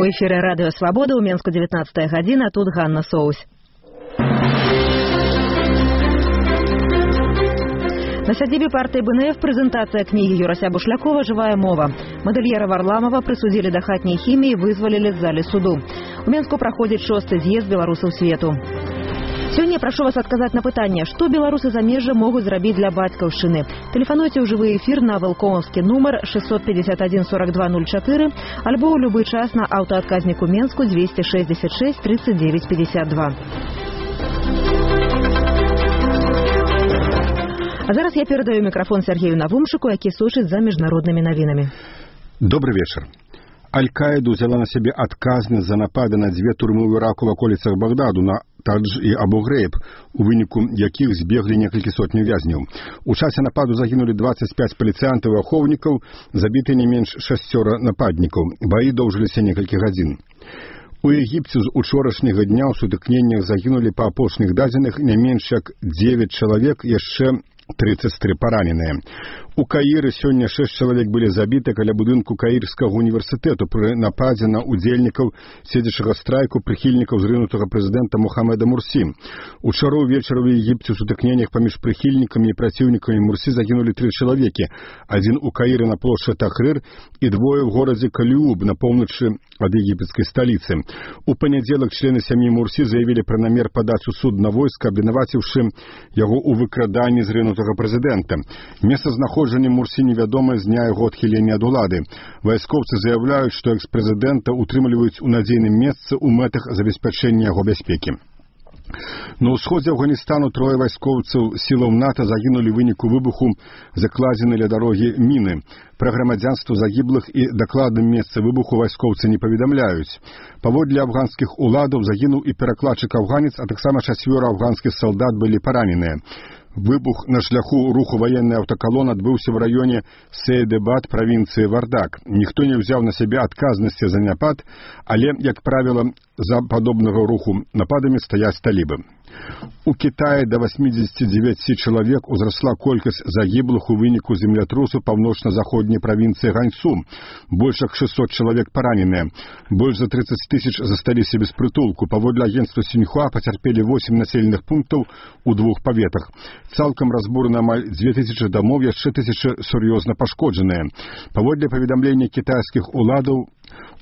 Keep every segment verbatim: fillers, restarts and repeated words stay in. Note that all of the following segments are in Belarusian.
У эфіры радыё Свабода ў Менску дзевятнаццатая гадзіна, тут Ганна Соусь. На сядзібе партыі бэ эн эф прэзентацыя кнігі Юрася Бушлякова «Жывая мова». Мадэльера Варламова прысудзілі да хатняй хіміі, вызвалілі з залі суду. У Менску праходзіць шосты з'езд беларусаў свету. Сёння прашу вас адказаць на пытанне, што беларусы замежжа могуць зрабіць для бацькаўшчыны. Тэлефануйце ў жывы эфір на вэлкомаўскі нумар шестьсот пятьдесят один сорок два ноль четыре альбо ў любы час на аўтаадказніку Менску двести шестьдесят шесть тридцать девять пятьдесят два. А зараз я перадаю мікрафон Сергею Навумшыку, які сочыць за міжнароднымі навінамі. Добрый вечер. Аль-Каіда взяла на себе адказнасць за напады на дзве турмы ў Іраку в аколіцах Багдаду, на Тадж і Абу-Грейб, у выніку якіх збеглі некалькі сотняў вязняў. У часе нападу загінулі двадцать пять паліцыянтаў і ахоўнікаў, забіты не менш шасцёра нападнікаў. Баі доўжыліся некалькі гадзін. У Егіпце з учорашняга дня ў сутыкненнях загінулі па апошніх дадзеных не менш як девять чалавек, яшчэ тридцать три параненыя. У Каіры сёння шесть чалавек былі забіты каля будынку Каірскага універсітэту пры нападзе на удзельнікаў седзячага страйку прыхільнікаў зрынутага прэзідэнта Мухаммеда Мурсі. Учора ўвечары ў Егіпце ў сутыкненнях паміж прыхільнікамі і праціўнікамі Мурсі загінулі тры чалавекі. Адзін у Каіры на плошчы Тахрыр і двое ў горадзе Каліуб на поўначы ад егіпецкай сталіцы. У панядзелак члены сям'і Мурсі заявілі пра намер падаць у суд на войска, абвінаваціўшы яго ў выкраданні зрынутага прэзідэнта. Месцазнаходжанне Мурсі невядомае з дня яго адхілення ад улады. Вайскоўцы заяўляюць, што экс-прэзідэнта утрымліваюць у надзейным месцы ў мэтах забеспячэння яго бяспекі. На ўсходзе Афганістану трое вайскоўцаў сілаў НАТО загінулі ў выніку выбуху закладзены ля дарогі міны. Пра грамадзянства загіблых і дакладным месцы выбуху вайскоўцы не паведамляюць. Паводле афганскіх уладаў загінуў і перакладчык-афганец, а таксама чацвёра афганскіх салдат былі параненыя. Выбух на шляху руху военной аўтакалон адбыўся в раёне Сейдебад правінцыі Вардак. Ніхто не ўзяў на сябе адказнасці за напад, але, як правіла, за падобнага руху нападамі стаяць талібы. У Китаі да восьмидесяти девяти чалавек узрасла колькасць загіблых у выніку землятрусу паўночна-заходняй правінцыі Ганьсу. Больш як шестьсот чалавек параненыя. Больш за тридцать тысяч засталіся без прытулку. Паводле агенцтва Сіньхуа пацярпелі восемь населеных пунктаў у двух паветах. Цалкам разбурана амаль две тысячи дамоў, яшчэ тысяча сур'ёзна пашкоджаныя. Паводле паведамлення кітайскіх уладаў,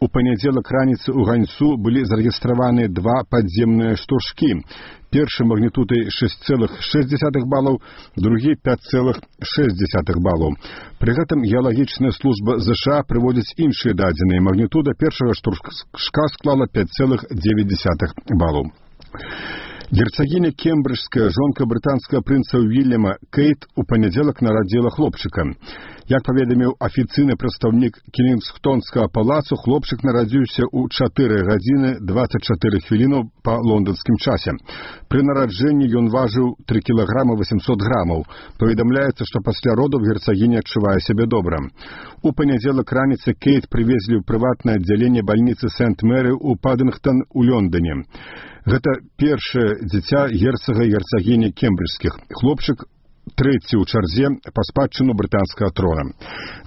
у панядзелак раніцы ў Ганьсу былі зарэгістраваны два падземныя штуршкі. Першы магнітудай шесть целых шесть десятых балаў, другі пять целых шесть десятых балаў. Пры гэтым геалагічная служба ЗША прыводзіць іншыя дадзеныя. Магнітуда першага штуршка склала пять целых девять десятых балаў. Герцагіня Кембриджская, жонка брытанскага прынца Уільяма Кейт, у панядзелак нарадзіла хлопчыка. Як паведаміў афіцыйны прадстаўнік Кінгстонскага палацу, хлопчык нарадзіўся ў чатыры гадзіны двадцать четыре хвіліны па лонданскім часе. Пры нараджэнні ён важыў три кілаграмы восемьсот грамаў. Паведамляецца, што пасля родаў герцагіня адчувае сябе добра. У панядзелак раніцы Кейт прывезлі ў прыватнае аддзяленне бальніцы Сент-Мэры ў Паддынгтон у Лондоне. Гэта першае дзіця герцага і герцагіні кембриджскіх. Хлопчык трэці ў чарзе па спадчыну брытанскага трона.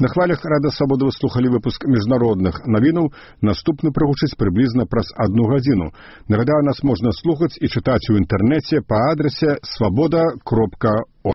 На хвалях Радыё Свабода вы слухалі выпуск міжнародных навінаў. Наступны прагучыць прыблізна праз одну гадзіну. Нагадаю, нас можна слухаць і чытаць у інтэрнэце па адрасе свабода кропка орг.